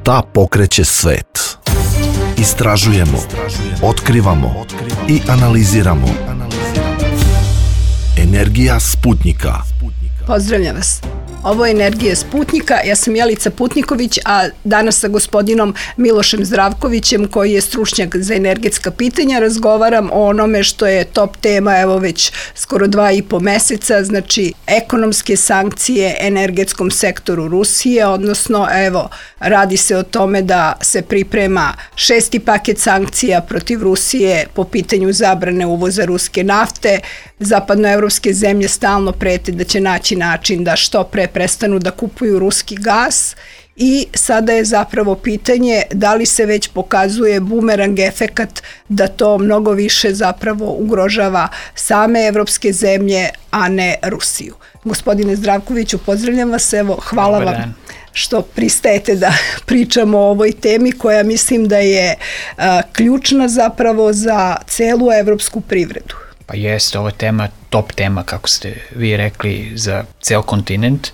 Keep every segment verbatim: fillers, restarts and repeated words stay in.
Šta pokreće svet? Istražujemo, otkrivamo i analiziramo. Energija Sputnjika. Pozdravljam vas. Ovo je Energija Sputnjika, ja sam Jelica Putniković, a danas sa gospodinom Milošem Zdravkovićem, koji je stručnjak za energetska pitanja, razgovaram o onome što je top tema, evo već skoro dva i po meseca, znači ekonomske sankcije energetskom sektoru Rusije, odnosno evo, radi se o tome da se priprema šesti paket sankcija protiv Rusije po pitanju zabrane uvoza ruske nafte. Zapadnoevropske zemlje stalno prete da će naći način da što pre prestanu da kupuju ruski gas i sada je zapravo pitanje da li se već pokazuje bumerang efekat da to mnogo više zapravo ugrožava same evropske zemlje, a ne Rusiju. Gospodine Zdravkoviću, pozdravljam vas, evo, hvala Dobar vam dan. što pristajete da pričamo o ovoj temi koja mislim da je a, ključna zapravo za celu evropsku privredu. Pa jeste, ova tema, top tema, kako ste vi rekli, za ceo kontinent.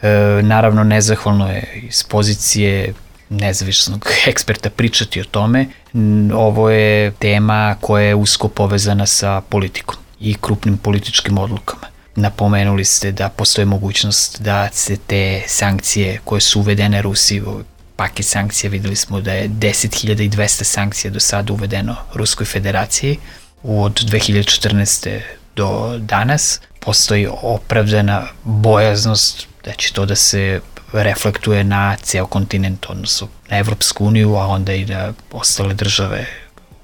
E, naravno, nezahvalno je iz pozicije nezavisnog eksperta pričati o tome. Ovo je tema koja je usko povezana sa politikom i krupnim političkim odlukama. Napomenuli ste da postoji mogućnost da se te sankcije koje su uvedene Rusiji, paket sankcija, videli smo da je deset hiljada dvesta sankcija do sada uvedeno Ruskoj federaciji. Od dve hiljade četrnaeste. do danas postoji opravdana bojaznost da će to da se reflektuje na ceo kontinent, odnosno na Evropsku uniju, a onda i na ostale države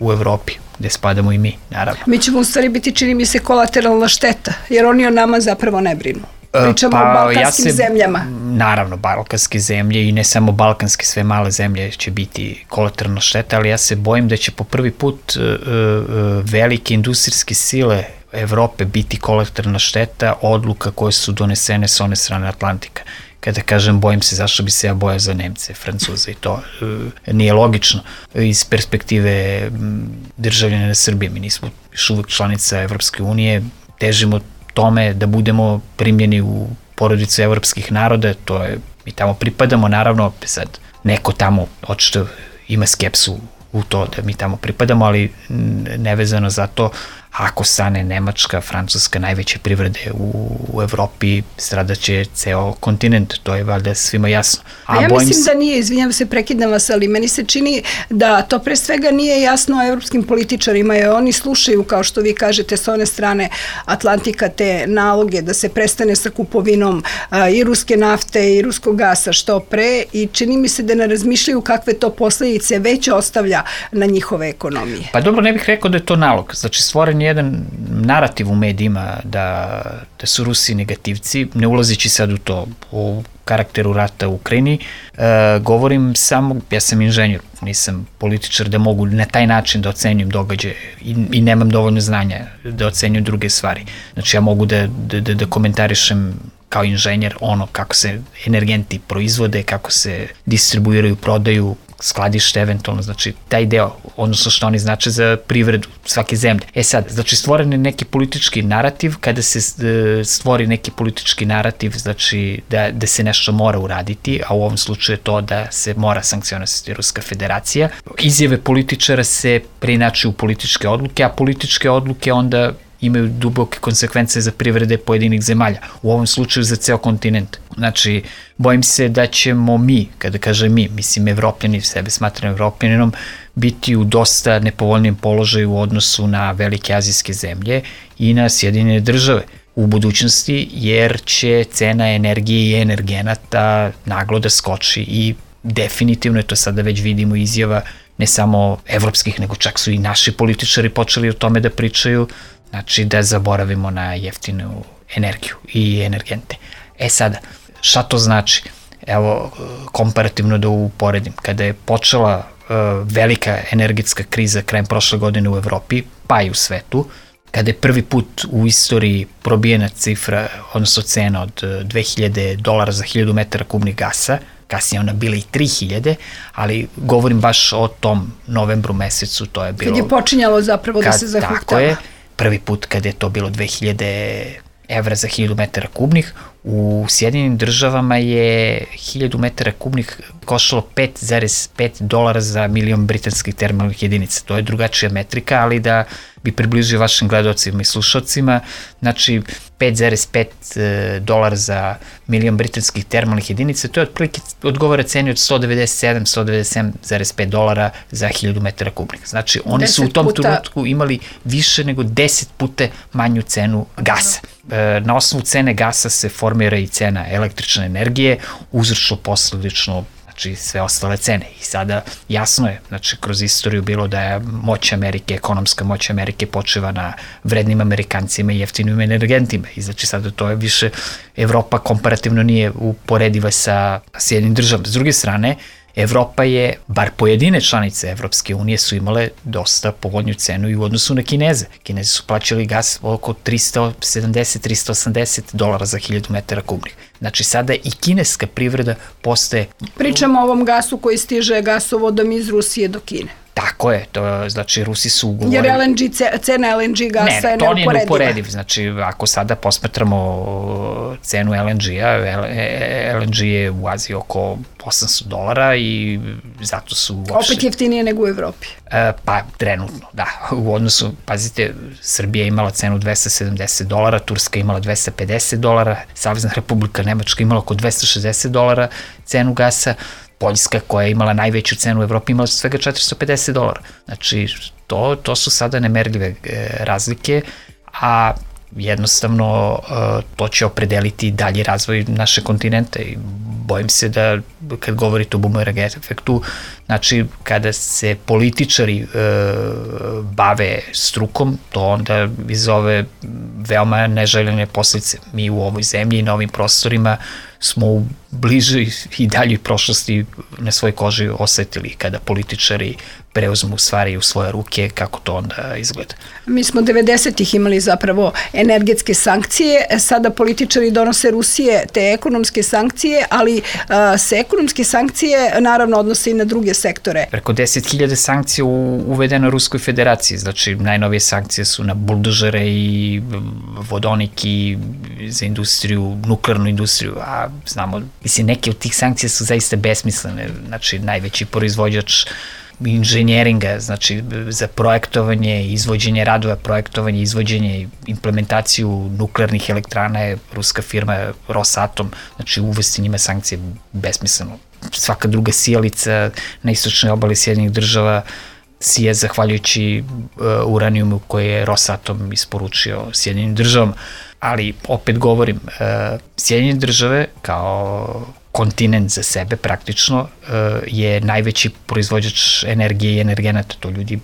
u Evropi, gde spadamo i mi, naravno. Mi ćemo u stvari biti, čini mi se, kolateralna šteta, jer oni o nama zapravo ne brinu. Pričamo pa, o balkanskim ja se, zemljama. Naravno, balkanske zemlje i ne samo balkanske, sve male zemlje će biti kolateralna šteta, ali ja se bojim da će po prvi put uh, uh, velike industrijske sile Evrope biti kolateralna šteta odluka koje su donesene s one strane Atlantika. Kada kažem bojim se, zašto bi se ja bojao za Nemce, Francuze i to uh, nije logično iz perspektive um, državljana Srbije. Mi nismo još uvek članica Evropske unije, težimo tome da budemo primljeni u porodicu evropskih naroda, to je, mi tamo pripadamo, naravno, sad neko tamo očito ima skepsu u to da mi tamo pripadamo, ali nevezano za to, ako stane Nemačka, Francuska, najveće privrede u, u Evropi, stradaće ceo kontinent, to je valjda svima jasno. A, A ja mislim se... da nije, izvinjam se, prekidam vas, ali meni se čini da to pre svega nije jasno evropskim političarima, jer oni slušaju, kao što vi kažete, s one strane Atlantika te naloge da se prestane sa kupovinom a, i ruske nafte i ruskog gasa što pre i čini mi se da ne razmišljaju kakve to posledice već ostavlja na njihove ekonomije. Pa dobro, ne bih rekao da je to nalog, znači stvoren je jedan narativ u medijima da, da su Rusi negativci, ne ulazeći sad u to, u karakteru rata u Ukrajini, e, govorim samo, ja sam inženjer, nisam političar da mogu na taj način da ocenjujem događaje i, i nemam dovoljno znanja da ocenjujem druge stvari. Znači ja mogu da, da, da, da komentarišem kao inženjer ono kako se energenti proizvode, kako se distribuiraju, prodaju, skladište eventualno, znači taj deo, odnosno što oni znače za privredu svake zemlje. E sad, znači stvoren je neki politički narativ, kada se stvori neki politički narativ, znači da, da se nešto mora uraditi, a u ovom slučaju je to da se mora sankcionisati Ruska federacija. Izjave političara se preinačuju u političke odluke, a političke odluke onda imaju duboke konsekvence za privrede pojedinih zemalja, u ovom slučaju za ceo kontinent. Znači, bojim se da ćemo mi, kada kažem mi, mislim Evropljani, sebe smatram Evropljaninom, biti u dosta nepovoljnijem položaju u odnosu na velike azijske zemlje i na Sjedinjene države u budućnosti, jer će cena energije i energenata naglo da skoči i definitivno je to sada već vidimo izjava ne samo evropskih, nego čak su i naši političari počeli o tome da pričaju, znači da zaboravimo na jeftinu energiju i energente. E sada, šta to znači? Evo, komparativno da uporedim, kada je počela uh, velika energetska kriza krajem prošle godine u Evropi, pa i u svetu, kada je prvi put u istoriji probijena cifra, odnosno cena od dve hiljade dolara za hiljadu metara kubnih gasa, kasnije ona bila i tri hiljade, ali govorim baš o tom novembru mesecu, to je bilo... Kad je počinjalo zapravo kad, da se zahuktava. Tako je, prvi put kada je to bilo dve hiljade evra za hiljadu metara kubnih, U Sjedinjenim državama je hiljadu metara kubnih koštalo pet zarez pet dolara za milion britanskih termalnih jedinica. To je drugačija metrika, ali da bi približio vašim gledalcima i slušalcima, znači pet zarez pet dolara za milion britanskih termalnih jedinica, to je otprilike odgovara ceni od sto devedeset sedam do sto devedeset sedam zarez pet dolara za hiljadu metara kubnih. Znači, oni su u tom puta... trenutku imali više nego deset puta manju cenu gasa. Na osnovu cene gasa se formira i cena električne energije, uzročno posledično znači sve ostale cene. I sada jasno je, znači kroz istoriju bilo da je moć Amerike, ekonomska moć Amerike počiva na vrednim Amerikancima i jeftinim energentima. I znači sada to je više, Evropa komparativno nije uporediva sa Sjedinim državama. S druge strane, Evropa je, bar pojedine članice Evropske unije su imale dosta povoljnju cenu i u odnosu na Kineze. Kinezi su plaćali gas oko tristo sedamdeset do tristo osamdeset dolara za hiljadu metara kubnih. Znači sada i kineska privreda postaje... Pričamo o ovom gasu koji stiže gasovodom iz Rusije do Kine. Tako je, to znači Rusi su ugovorili... Jer L N G, cena L N G gasa ne, ne, je neuporediva. Ne, to nije neuporediv, znači ako sada posmatramo cenu L N G-a, L N G je u Aziji oko osamsto dolara i zato su uopšte... Opet jeftinije nego u Evropi. E, pa, trenutno, da. U odnosu, pazite, Srbija je imala cenu dvesta sedamdeset dolara, Turska je imala dvesta pedeset dolara, Savezna Republika Nemačka imala oko dvesta šezdeset dolara cenu gasa, Poljska koja je imala najveću cenu u Evropi imala svega četiristo pedeset dolara. Znači, to, to su sada nemerljive e, razlike, a jednostavno e, to će opredeliti dalji razvoj naše kontinenta i bojim se da kad govorite o boomerang efektu, znači kada se političari e, bave strukom, to onda izove veoma neželjene posljedice. Mi u ovoj zemlji i na ovim prostorima smo u bližoj i daljoj prošlosti na svojoj koži osetili kada političari preuzmu stvari u svoje ruke, kako to onda izgleda. Mi smo devedesetih imali zapravo energetske sankcije, sada političari donose Rusije te ekonomske sankcije, ali a, se ekonomske sankcije naravno odnose i na druge sektore. Preko deset hiljada sankcija uvedeno Ruskoj federaciji, znači najnovije sankcije su na buldožere i vodonik i za industriju, nuklearnu industriju, a znamo, mislim, neke od tih sankcija su zaista besmislene, znači najveći proizvođač inženjeringa, znači za projektovanje, izvođenje radova, projektovanje, izvođenje i implementaciju nuklearnih elektrana je ruska firma Rosatom, znači uvesti njima sankcije besmisleno. Svaka druga sijalica na istočnoj obali Sjedinjenih država sije zahvaljujući uh, uranijumu koji je Rosatom isporučio Sjedinjenim državama. Ali, opet govorim, uh, Sjedinjene države kao kontinent za sebe praktično uh, je najveći proizvođač energije i energenata. To ljudi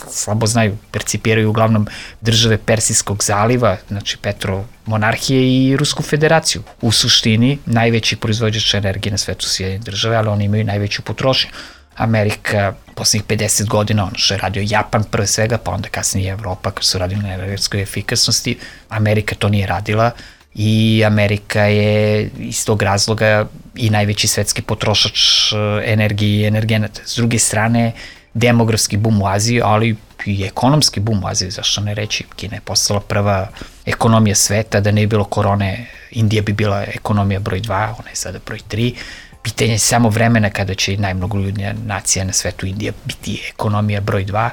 slabo znaju, percipiraju uglavnom države Persijskog zaliva, znači petromonarhije i Rusku federaciju. U suštini, najveći proizvođač energije na svetu su Sjedinjene države, ali oni imaju najveću potrošnju. Amerika, poslednjih pedeset godina, ono što je radio Japan pre svega, pa onda kasnije Evropa, kad su radili na energetskoj efikasnosti, Amerika to nije radila i Amerika je iz tog razloga i najveći svetski potrošač energije i energenata. S druge strane, demografski bum u Aziji, ali i ekonomski bum u Aziji, zašto ne reći, Kina je postala prva ekonomija sveta, da ne bi bilo korone, Indija bi bila ekonomija broj dva, ona je sada broj tri, pitanje je samo vremena kada će i najmnogoljudnija nacija na svetu, Indija, biti ekonomija broj dva,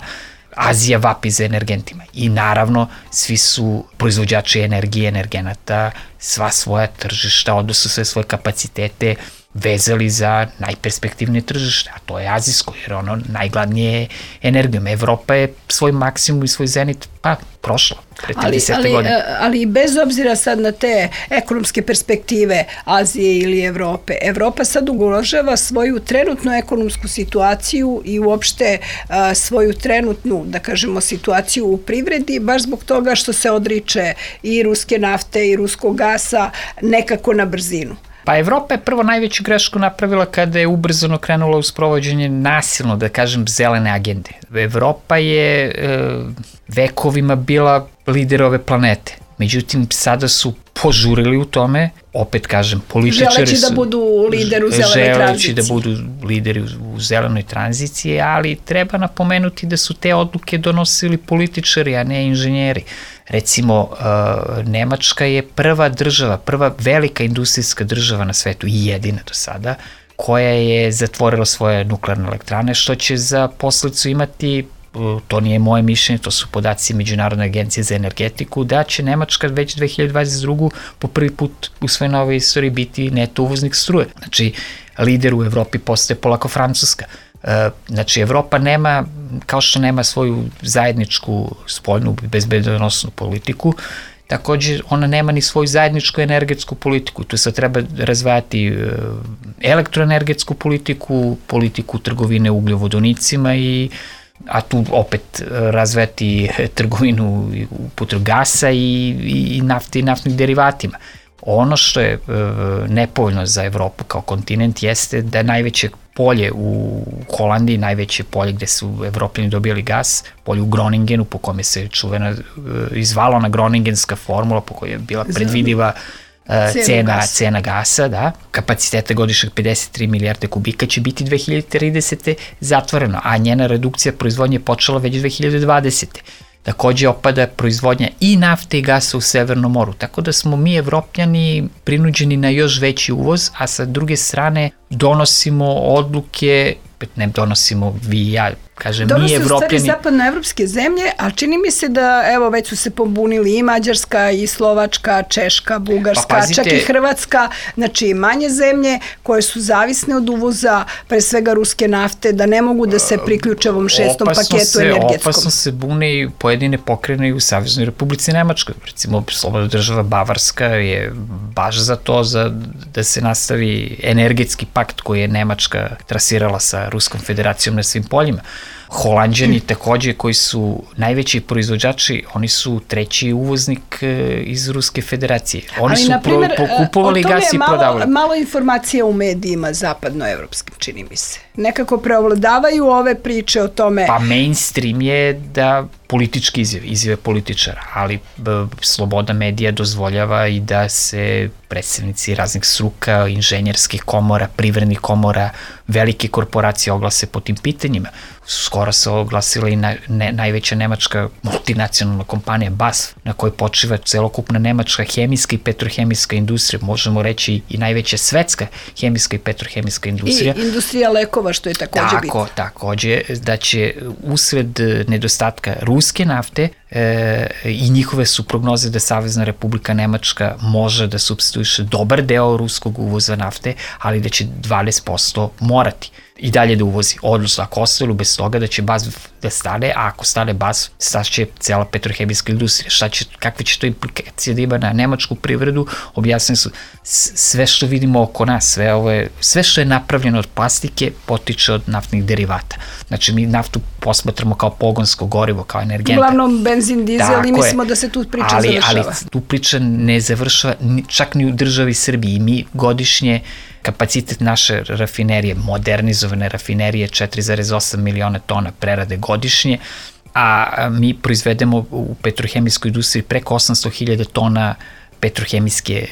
Azija vapi za energentima i naravno svi su proizvođači energije, energenata, sva svoja tržišta, odnosno sve svoje kapacitete vezali za najperspektivnije tržište, a to je azijsko, jer ono najgladnije energijom. Evropa je svoj maksimum i svoj zenit pa prošla. Ali, ali, ali bez obzira sad na te ekonomske perspektive Azije ili Evrope, Evropa sad ugrožava svoju trenutnu ekonomsku situaciju i uopšte a, svoju trenutnu, da kažemo, situaciju u privredi, baš zbog toga što se odriče i ruske nafte i ruskog gasa nekako na brzinu. Pa Evropa je prvo najveću grešku napravila kada je ubrzano krenula u sprovođenje nasilno, da kažem, zelene agende. Evropa je e, vekovima bila lider ove planete. Međutim, sada su požurili u tome, opet kažem, političari želeći su... da budu lideri u zelenoj tranziciji. Želeći da budu lideri u zelenoj tranziciji, ali treba napomenuti da su te odluke donosili političari, a ne inženjeri. Recimo, Nemačka je prva država, prva velika industrijska država na svetu i jedina do sada, koja je zatvorila svoje nuklearne elektrane, što će za posledicu imati, to nije moje mišljenje, to su podaci Međunarodne agencije za energetiku, da će Nemačka već dve hiljade dvadeset druge po prvi put u svojoj novoj istoriji biti neto uvoznik struje. Znači, lider u Evropi postaje polako Francuska. Znači, Evropa nema, kao što nema svoju zajedničku spoljnu bezbedonosnu politiku, takođe ona nema ni svoju zajedničku energetsku politiku. Tu sad treba razvajati elektroenergetsku politiku, politiku trgovine ugljovodonicima, i a tu opet razvijati trgovinu upotrebu gasa i, i nafte i naftnih derivatima. Ono što je e, nepovoljno za Evropu kao kontinent jeste da najveće polje u Holandiji, najveće polje gde su Evropljani dobijali gas, polje u Groningenu, po kome se čuvena, e, izvala na groningenska formula, po kojoj je bila predvidiva e, cena, gas. cena gasa, da, kapaciteta godišnjeg pedeset tri milijarde kubika će biti dve hiljade tridesete zatvoreno, a njena redukcija proizvodnje je počela već dve hiljade dvadesete Takođe opada proizvodnja i nafte i gasa u Severnom moru, tako da smo mi Evropljani prinuđeni na još veći uvoz, a sa druge strane donosimo odluke, ne donosimo vi i ja, kažem, Donose mi Evropljani... Donose u stvari zapadnoevropske zemlje, ali čini mi se da, evo, već su se pobunili i Mađarska, i Slovačka, Češka, Bugarska, pa pazite, čak i Hrvatska, znači manje zemlje koje su zavisne od uvoza, pre svega ruske nafte, da ne mogu da se priključe ovom šestom paketu se, energetskom. Opasno se bune i pojedine pokrene i u Saveznoj Republici Nemačkoj. Recimo, slobodna država Bavarska je baš za to, za, da se nastavi energetski pakt koji je Nemačka trasirala sa Ruskom federacijom na svim poljima. Holanđani takođe, koji su najveći proizvođači, oni su treći uvoznik iz Ruske federacije. Oni Ali, su naprimer, pro, pokupovali gas i prodavali. O tome je malo, malo informacija u medijima zapadnoevropskim, čini mi se. Nekako preovladavaju ove priče o tome. Pa mainstream je da politički izjave, izjave političara, ali b, sloboda medija dozvoljava i da se predstavnici raznih struka, inženjerskih komora, privrednih komora, velike korporacije oglase po tim pitanjima. Skoro se oglasila i na, ne, najveća nemačka multinacionalna kompanija B A S F, na kojoj počiva celokupna nemačka hemijska i petrohemijska industrija, možemo reći i najveća svetska hemijska i petrohemijska industrija. I industrija lekova, što je takođe Tako, bitno. Takođe, da će usred nedostatka ruske nafte e, i njihove su prognoze da Savezna Republika Nemačka može da supstituiše dobar deo ruskog uvoza nafte, ali da će dvadeset posto morati i dalje da uvozi. Odnosno, ako ostalo bez toga da će B A S F da stane, a ako stane B A S F, staće cela petrohemijska industrija. Šta će, kakve će to implikacije da ima na nemačku privredu, objasnili su. Sve što vidimo oko nas, sve, ovo je, sve što je napravljeno od plastike potiče od naftnih derivata. Znači, mi naftu posmatramo kao pogonsko gorivo, kao energenta. Uglavnom benzin, dizel, Tako i mislimo je. da se tu priča ali, završava. Ali tu priča ne završava čak ni u državi Srbiji. Mi godišnje kapacitet naše rafinerije, modernizovane rafinerije, četiri zarez osam miliona tona prerade godišnje, a mi proizvedemo u petrohemijskoj industriji preko osamsto hiljada tona petrohemijske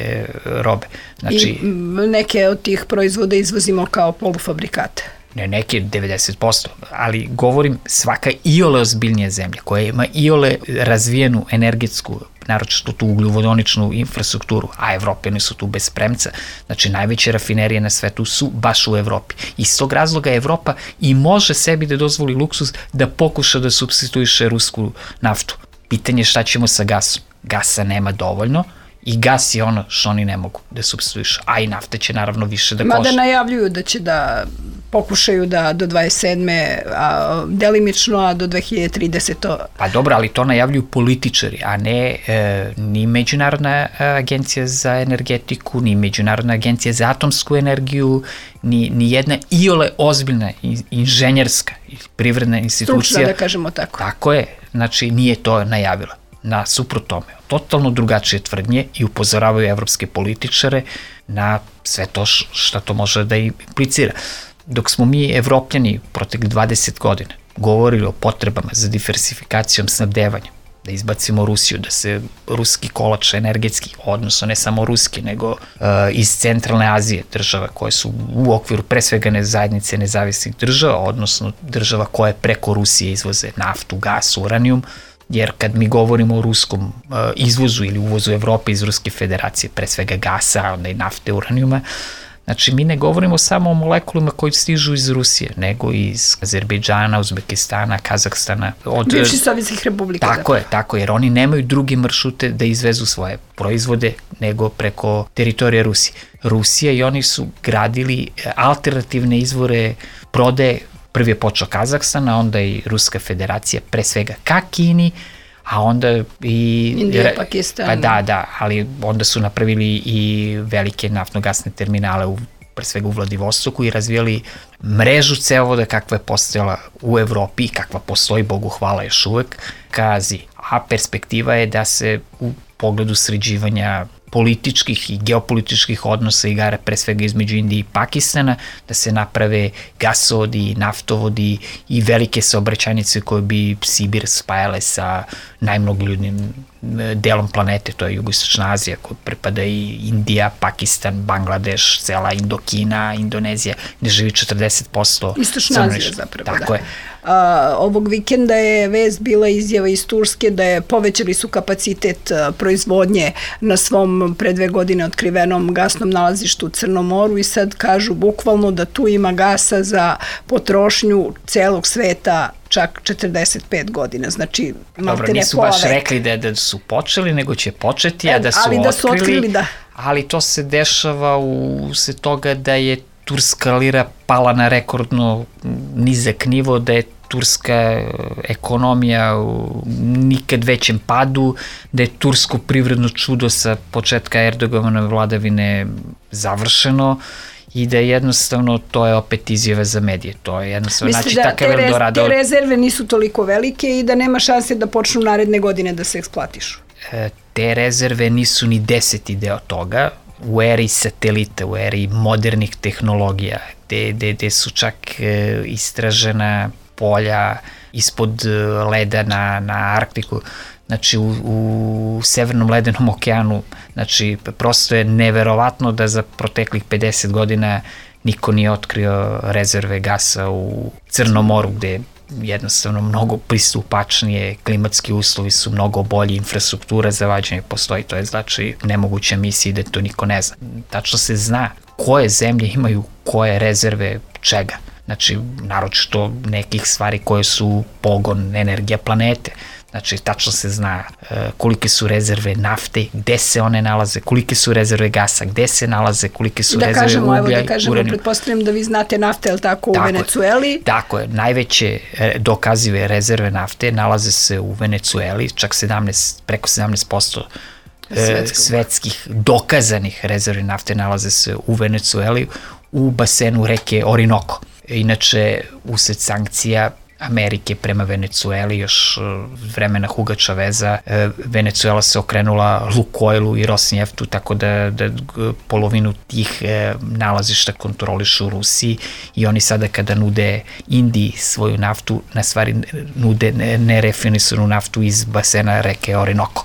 robe. Znači, I neke od tih proizvoda izvozimo kao polufabrikate. Ne, neke devedeset posto, ali govorim svaka iole ozbiljnija zemlja koja ima iole razvijenu energetsku, naročito tu ugljovodoničnu infrastrukturu, a Evropljani su tu bez premca, znači najveće rafinerije na svetu su baš u Evropi. Iz tog razloga Evropa i može sebi da dozvoli luksuz da pokuša da supstituiše rusku naftu. Pitanje je šta ćemo sa gasom. Gasa nema dovoljno, i gas je ono što oni ne mogu da supstituišu, a i nafta će naravno više da košta. Mada najavljuju da će da pokušaju da do dvadeset sedme a, delimično, a do dve hiljade tridesete Pa dobro, ali to najavljuju političari, a ne e, ni Međunarodna agencija za energetiku, ni Međunarodna agencija za atomsku energiju, ni, ni jedna iole ozbiljna inženjerska i privredna institucija. Stručna, da kažemo tako. Tako je, znači nije to najavila. Na suprot tome, totalno drugačije tvrdnje i upozoravaju evropske političare na sve to što to može da implicira. Dok smo mi Evropljani protekli dvadeset godina govorili o potrebama za diversifikacijom snabdevanja, da izbacimo Rusiju, da se ruski kolač energetski, odnosno ne samo ruski, nego uh, iz centralne Azije država koje su u okviru pre svega ne zajednice nezavisnih država, odnosno država koje preko Rusije izvoze naftu, gas, uranijum, jer kad mi govorimo o ruskom uh, izvozu ili uvozu Evrope iz Ruske federacije, pre svega gasa, onda i nafte, uranijuma, znači, mi ne govorimo samo o molekulima koji stižu iz Rusije, nego iz Azerbejdžana, Uzbekistana, Kazahstana. Od bivših sovjetskih republika. Tako da. je, tako je, jer oni nemaju druge maršrute da izvezu svoje proizvode nego preko teritorije Rusije. Rusija i oni su gradili alternativne izvore prodaje. Prvi je počeo Kazahstan, a onda i Ruska federacija, pre svega ka Kini, a onda i... Indija, Pakistan. Pa da, da, ali onda su napravili i velike naftno-gasne terminale, u, pre svega u Vladivostoku, i razvijali mrežu cevovoda kakva je postojala u Evropi i kakva postoji, Bogu hvala, još uvek, ka Aziji. A perspektiva je da se u pogledu sređivanja političkih i geopolitičkih odnosa igara pre svega između Indije i Pakistana, da se naprave gasovodi, naftovodi i velike saobraćajnice koje bi Sibir spajale sa najmnogoljudnim delom planete, to je Jugoistočna Azija, koja pripada i Indija, Pakistan, Bangladeš, cela Indokina, Indonezija, gde živi četrdeset posto Istočna Azija zapravo, tako da. je. A, ovog vikenda je vest bila izjava iz Turske da je povećali su kapacitet a, proizvodnje na svom pre dve godine otkrivenom gasnom nalazištu u Crnom moru i sad kažu bukvalno da tu ima gasa za potrošnju celog sveta čak četrdeset pet godina, znači Dobro, nisu baš rekli da, da su počeli, nego će početi, a da su ali otkrili, da su otkrili, da. Ali to se dešava u se toga da je turska lira pala na rekordno nizak nivo, da je turska ekonomija u nikad većem padu, da je tursko privredno čudo sa početka Erdoganove vladavine završeno i da jednostavno to je opet izjava za medije. To je jednostavno, znači, da takav Eldorado... te rezerve nisu toliko velike i da nema šanse da počnu naredne godine da se eksploatišu? E, te rezerve nisu ni deseti deo toga. U eri satelita, u eri modernih tehnologija, gde, gde, gde su čak e, istražena polja ispod leda na, na Arktiku, znači u, u Severnom ledenom okeanu, znači prosto je neverovatno da za proteklih pedeset godina niko nije otkrio rezerve gasa u Crnom moru, gde jednostavno mnogo pristupačnije, klimatski uslovi su mnogo bolji, infrastruktura za vađenje postoji, to je znači nemoguća misija da to niko ne zna. Tačno se zna koje zemlje imaju koje rezerve čega. Znači, naročito nekih stvari koje su pogon, energija planete. Znači, tačno se zna uh, kolike su rezerve nafte, gde se one nalaze, kolike su rezerve gasa, gde se nalaze, kolike su da rezerve kažemo, uglja. Evo da kažemo, uranijum. Pretpostavljam da vi znate nafte, je li tako, tako u Venecueli? Je, tako je, najveće dokazive rezerve nafte nalaze se u Venecueli, čak sedamnaest, preko sedamnaest posto Svetskog. svetskih dokazanih rezervi nafte nalaze se u Venecueli, u basenu reke Orinoco. Inače, usled sankcija Amerike prema Venecueli, još vremena Huga Chaveza, Venecuela se okrenula Lukoilu i Rosneftu, tako da, da polovinu tih nalazišta kontrolišu u Rusiji i oni sada kada nude Indiji svoju naftu, na stvari nude nerefinisanu naftu iz basena reke Orinoco.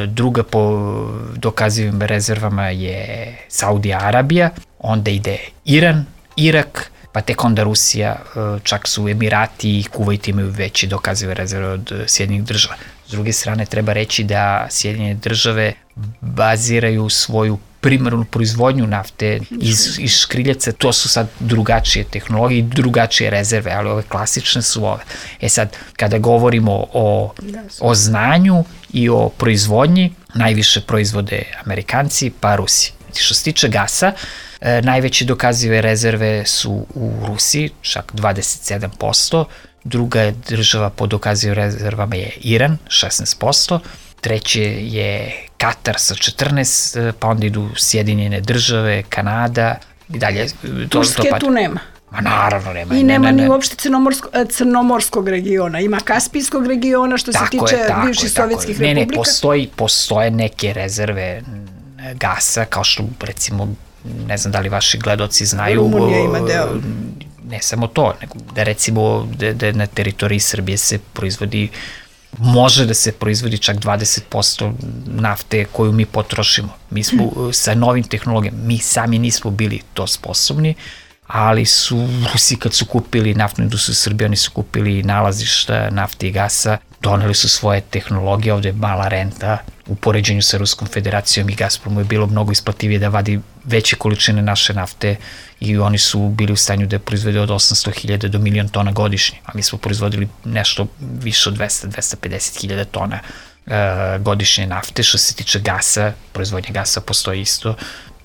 Druga po dokazivim rezervama je Saudija Arabija, onda ide Iran, Irak, pa tek onda Rusija, čak su Emirati i Kuvajt imaju veći dokazive rezerve od Sjedinjenih država. S druge strane, treba reći da Sjedinjene države baziraju svoju primarnu proizvodnju nafte iz, iz škriljaca, to su sad drugačije tehnologije i drugačije rezerve, ali ove klasične su ove. E sad, kada govorimo o, o znanju i o proizvodnji, najviše proizvode Amerikanci pa Rusi. Što se tiče gasa, e, najveće dokazive rezerve su u Rusiji, čak dvadeset sedam posto, druga država po dokazivim rezervama je Iran, šesnaest posto, treće je Katar sa četrnaest, pa onda idu Sjedinjene države, Kanada i dalje. Turske to tu nema. Ma naravno nema. I nema ne, ne, ne. ni uopšte crnomorsko, crnomorskog regiona. Ima Kaspijskog regiona što tako se tiče je, bivših sovjetskih republika. Ne, ne, postoji, postoje neke rezerve gasa, kao što recimo, ne znam da li vaši gledoci znaju. Rumunija ima deo. Ne samo to, nego da recimo da, da na teritoriji Srbije se proizvodi može da se proizvodi čak dvadeset posto nafte koju mi potrošimo. Mi smo sa novim tehnologijama, mi sami nismo bili to sposobni, ali su Rusi kad su kupili naftnu industriju Srbije, oni su kupili nalazišta nafte i gasa, doneli su svoje tehnologije, ovde je mala renta u poređenju sa Ruskom federacijom i Gazpromu je bilo mnogo isplativije da vadi veće količine naše nafte i oni su bili u stanju da je proizvede od osamsto hiljada do milion tona godišnje, a mi smo proizvodili nešto više od dvesta do dvesta pedeset hiljada tona e, godišnje nafte. Što se tiče gasa, proizvodnja gasa postoji isto,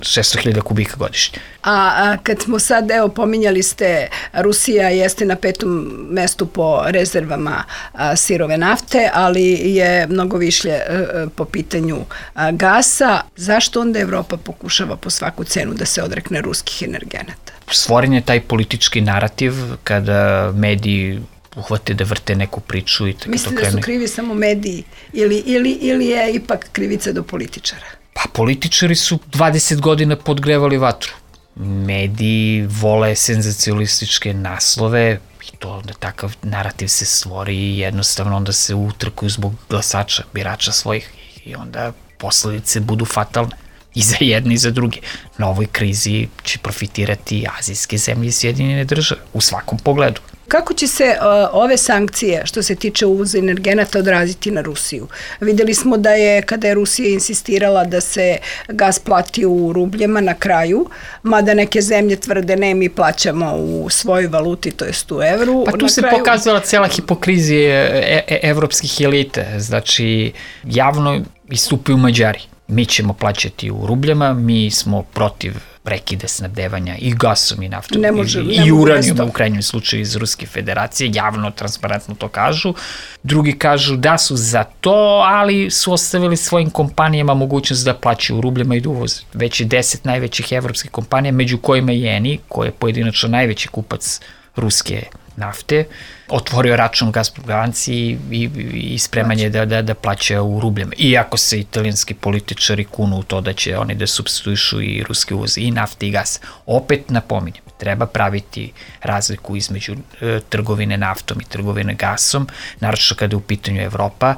šesto hiljada kubika godišnje. A, a kad smo sad, evo, pominjali ste, Rusija jeste na petom mestu po rezervama a, sirove nafte, ali je mnogo višlje a, po pitanju a, gasa. Zašto onda Evropa pokušava po svaku cenu da se odrekne ruskih energenata? Stvoren je taj politički narativ kada mediji uhvate da vrte neku priču i tako to krene. Mislite da su krivi samo mediji ili, ili, ili je ipak krivica do političara? Pa političari su dvadeset godina podgrevali vatru. Mediji vole senzacionalističke naslove i to da takav narativ se stvori i jednostavno onda se utrkuju zbog glasača, birača svojih i onda posledice budu fatalne i za jedne i za druge. Na ovoj krizi će profitirati azijske zemlje i Sjedinjene države u svakom pogledu. Kako će se uh, ove sankcije što se tiče uvoza energenata odraziti na Rusiju? Videli smo da je, kada je Rusija insistirala da se gas plati u rubljama na kraju, mada neke zemlje tvrde ne, mi plaćamo u svojoj valuti, to jest u evru. Pa tu na se kraju... pokazala cijela hipokrizija e e evropskih elite. Znači, javno istupaju Mađari. Mi ćemo plaćati u rubljama, mi smo protiv prekide snabdevanja i gasom i naftom ne može, i, ne i uranijom u krajnjem slučaju iz Ruske federacije, javno, transparentno to kažu. Drugi kažu da su za to, ali su ostavili svojim kompanijama mogućnost da plaćaju u rubljama i da uvoze. Već je deset najvećih evropskih kompanija, među kojima je Eni, koji je pojedinačno najveći kupac ruske nafte, otvorio račun Gazprom banci i, i, i spreman je da, da, da plaća u rubljama. Iako se italijanski političari kunu u to da će oni da supstituišu i ruske uvoze i nafte i gas. Opet napominjem, treba praviti razliku između e, trgovine naftom i trgovine gasom, naročito kada je u pitanju Evropa,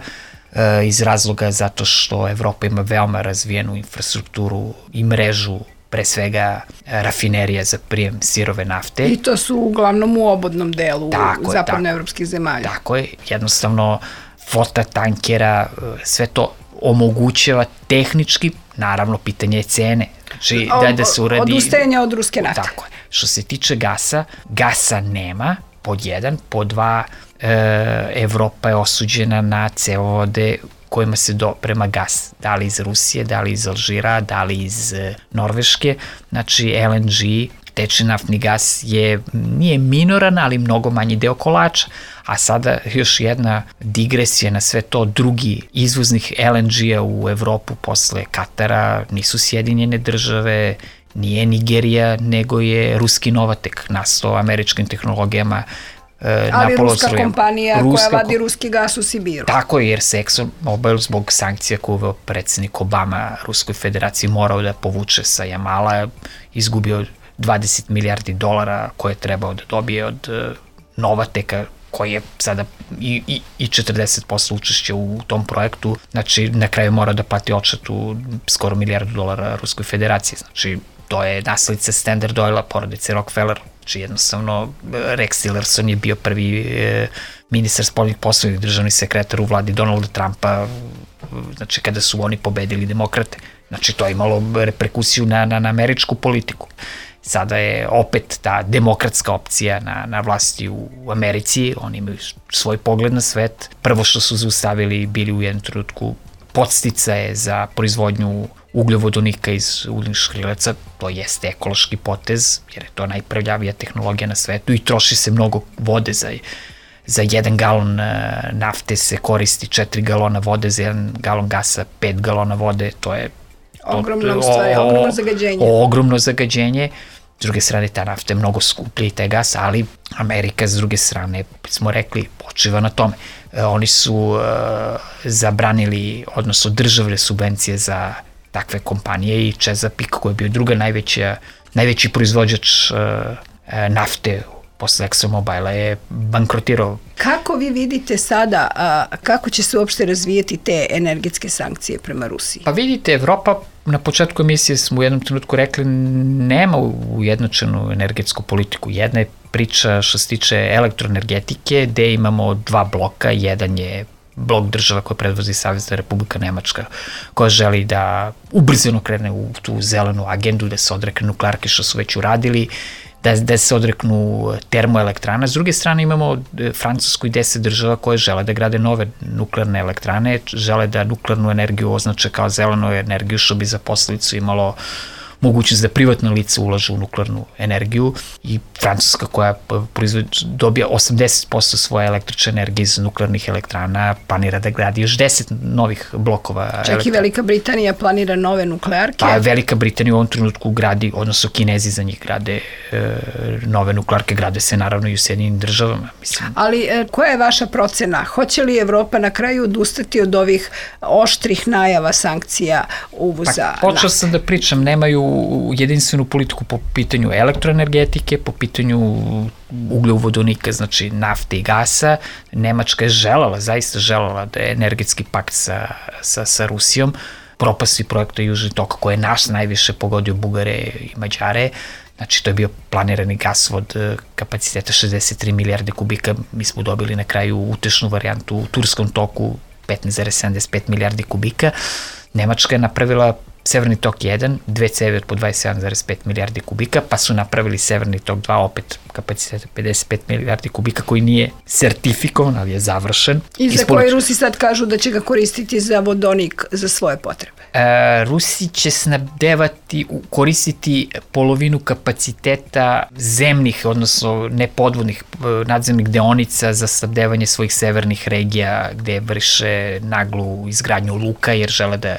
e, iz razloga zato što Evropa ima veoma razvijenu infrastrukturu i mrežu pre svega rafinerija za prijem sirove nafte. I to su uglavnom u obodnom delu tako zapadnoevropskih zemalja. Tako je, jednostavno flota tankera, sve to omogućava tehnički, naravno pitanje je cene. Znači, o, da, da se uradi... Odustajanje od ruske nafte. Tako je. Što se tiče gasa, gasa nema, pod jedan, pod dva, e, Evropa je osuđena na cevovode kojima se doprema gas, da li iz Rusije, da li iz Alžira, da li iz Norveške, znači L N G, tečni naftni gas je, nije minoran, ali mnogo manji deo kolača, a sada još jedna digresija na sve to, drugi izvoznih L N G-a u Evropu posle Katara nisu Sjedinjene države, nije Nigerija, nego je ruski Novatek, nastao američkim tehnologijama. Ali ruska kompanija ruska koja vadi ruski gas u Sibiru. Tako je, jer se ExxonMobil zbog sankcija koje uveo predsjednik Obama Ruskoj federaciji morao da povuče sa Jamala, izgubio dvadeset milijardi dolara koje je trebao da dobije od Novateka, koji je sada i, i, i četrdeset posto učešća u tom projektu, znači na kraju mora da plati odštetu skoro milijardu dolara Ruskoj federaciji, znači to je naslednica Standard Oila, porodice Rockefeller. Znači jednostavno Rex Tillerson je bio prvi e, ministar spoljnih poslova, državni sekretar u vladi Donalda Trumpa, znači kada su oni pobedili demokrate. Znači to je imalo reperkusiju na, na, na američku politiku. Sada je opet ta demokratska opcija na, na vlasti u Americi, oni imaju svoj pogled na svet. Prvo što su zaustavili, bili u jednom trenutku podsticaje za proizvodnju ugljovodonika iz ugljenih škrilaca, to jeste ekološki potez, jer je to najprljavija tehnologija na svetu i troši se mnogo vode za, za jedan galon nafte se koristi četiri galona vode, za jedan galon gasa pet galona vode, to je ogromno, stvari, ogromno zagađenje. Ogromno zagađenje. S druge strane, ta nafta je mnogo skuplja i taj gas, ali Amerika, s druge strane, smo rekli, počiva na tome. E, oni su uh, zabranili, odnosno državne subvencije za takve kompanije i Chesapeake, koji je bio druga najveća, najveći proizvođač uh, nafte posle ExxonMobila je bankrotirao. Kako vi vidite sada, a, kako će se uopšte razvijeti te energetske sankcije prema Rusiji? Pa vidite, Evropa, na početku emisije smo u jednom trenutku rekli, nema ujednačenu energetsku politiku. Jedna je priča što se tiče elektroenergetike, gde imamo dva bloka, jedan je blok država koje predvozi Savezna Republika Nemačka, koja želi da ubrzano krene u tu zelenu agendu, da se odrekne nuklearke što su već uradili, da, da se odreknu termoelektrana. S druge strane imamo Francusku i deset država koje žele da grade nove nuklearne elektrane, žele da nuklearnu energiju označe kao zelenu energiju, što bi za posledicu imalo mogućnost da privatna lica ulažu u nuklearnu energiju i Francuska koja dobija osamdeset posto svoje električne energije iz nuklearnih elektrana planira da gradi još deset novih blokova elektrana. Čak i Velika Britanija planira nove nuklearke. Pa Velika Britanija u ovom trenutku gradi, odnosno Kinezi za njih grade e, nove nuklearke, grade se naravno i u Sjedinjenim državama. Mislim. Ali e, koja je vaša procena? Hoće li Evropa na kraju odustati od ovih oštrih najava sankcija uvoza? Pa počeo sam da pričam, nemaju jedinstvenu politiku po pitanju elektroenergetike, po pitanju ugljovodonika, znači nafte i gasa. Nemačka je želala, zaista želala da je energetski pakt sa, sa, sa Rusijom, propasti projekta Južni tok koji je naš najviše pogodio Bugare i Mađare. Znači, to je bio planirani gasovod kapaciteta šezdeset tri milijarde kubika. Mi smo dobili na kraju utešnu varijantu u Turskom toku petnaest zarez sedamdeset pet milijardi kubika. Nemačka je napravila Severni tok jedan, dve cevi od po dvadeset sedam zarez pet milijardi kubika, pa su napravili Severni tok dva, opet kapaciteta pedeset pet milijardi kubika, koji nije sertifikovan, ali je završen. I za koji Rusi sad kažu da će ga koristiti za vodonik za svoje potrebe? E, Rusi će snabdevati, koristiti polovinu kapaciteta zemnih, odnosno nepodvodnih nadzemnih deonica za snabdevanje svojih severnih regija, gde vrše naglu izgradnju luka, jer žele da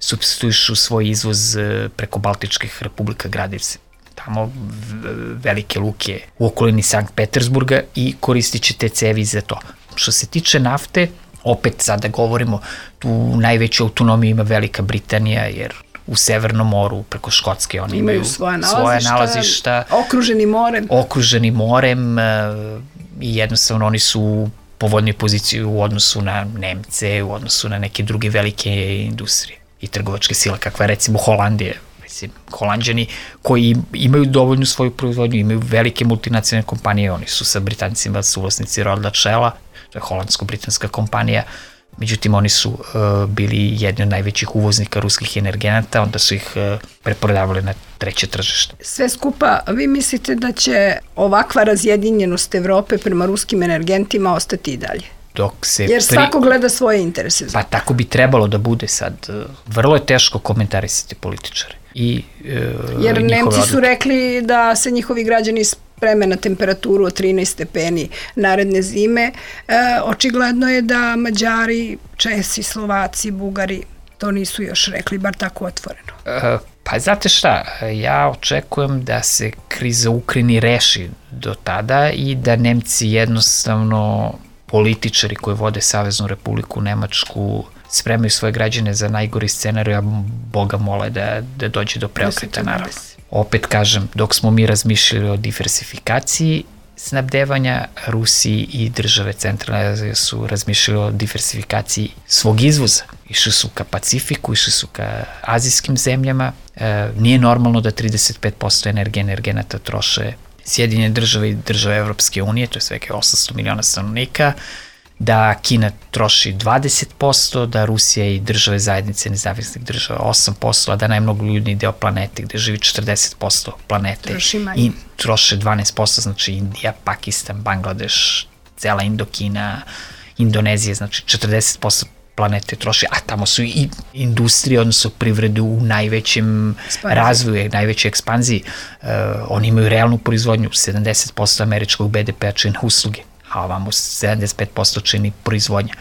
supstituišu svoj izvoz preko Baltičkih republika, grade se tamo velike luke u okolini Sankt Petersburga i koristit će te cevi za to. Što se tiče nafte, opet sada govorimo, tu najveću autonomiju ima Velika Britanija, jer u Severnom moru, preko Škotske, oni imaju, imaju svoje nalazišta, nalazišta okruženi morem. Okruženi morem i jednostavno oni su u povoljnoj poziciji u odnosu na Nemce, u odnosu na neke druge velike industrije i trgovačke sile, kakva je recimo Holandija. Mislim, Holanđani koji imaju dovoljnu svoju proizvodnju, imaju velike multinacionalne kompanije, oni su sa Britancima suvlasnici Royal Shella, to je holandsko-britanska kompanija, međutim oni su uh, bili jedni od najvećih uvoznika ruskih energenata, onda su ih uh, preprodavali na treće tržište. Sve skupa, vi mislite da će ovakva razjedinjenost Evrope prema ruskim energentima ostati i dalje? Dok se Jer svako pri... gleda svoje interese. Pa tako bi trebalo da bude sad. Vrlo je teško komentarisati političare. I, uh, Jer Nemci odluke. su rekli da se njihovi građani spreme na temperaturu od trinaest stepeni naredne zime. E, očigledno je da Mađari, Česi, Slovaci, Bugari to nisu još rekli, bar tako otvoreno. Uh, pa znate šta, ja očekujem da se kriza u Ukrajini reši do tada i da Nemci jednostavno, političari koji vode Saveznu Republiku Nemačku, spremaju svoje građane za najgori scenarij, a Boga mole da, da dođe do preokreta, naravno. Opet kažem, dok smo mi razmišljali o diversifikaciji snabdevanja, Rusiji i države Centralne Azije su razmišljali o diversifikaciji svog izvoza. Išli su ka Pacifiku, išli su ka azijskim zemljama. E, nije normalno da trideset pet posto energije energenata troše Sjedinjene države i države Evropske unije, to je svega osamsto miliona stanovnika, da Kina troši dvadeset posto, da Rusija i države zajednice nezavisnih država osam posto, a da najmnogoljudniji deo planete gde živi četrdeset posto planete i troše dvanaest posto, znači Indija, Pakistan, Bangladeš, cela Indokina, Indonezija, znači četrdeset posto planete troši, a tamo su i industrije, odnosno privredu u najvećem Spanzi. razvoju, najvećoj ekspanziji. Uh, oni imaju realnu proizvodnju, sedamdeset posto američkog be de pe-a čini usluge, a ovamo sedamdeset pet posto čini proizvodnja.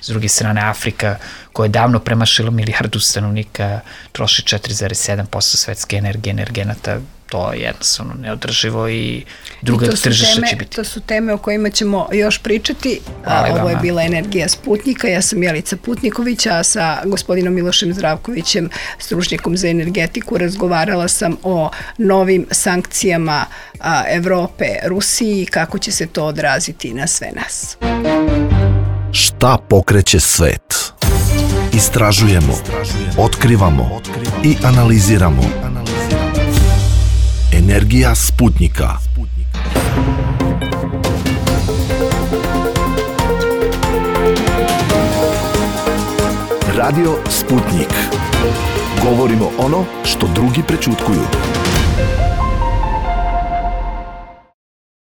S druge strane, Afrika, koja je davno premašila milijardu stanovnika, troši četiri zarez sedam posto svetske energije energenata, to je jednostavno neodrživo i druga tržišta će biti. To su teme o kojima ćemo još pričati. Hvala Ovo vama. je bila Energija Sputnika. Ja sam Jelica Putniković, a sa gospodinom Milošem Zdravkovićem, stručnjakom za energetiku, razgovarala sam o novim sankcijama a, Evrope Rusiji i kako će se to odraziti na sve nas. Šta pokreće svet? Istražujemo, otkrivamo i analiziramo. Energija Sputnika. Radio Sputnik. Govorimo ono što drugi prećutkuju.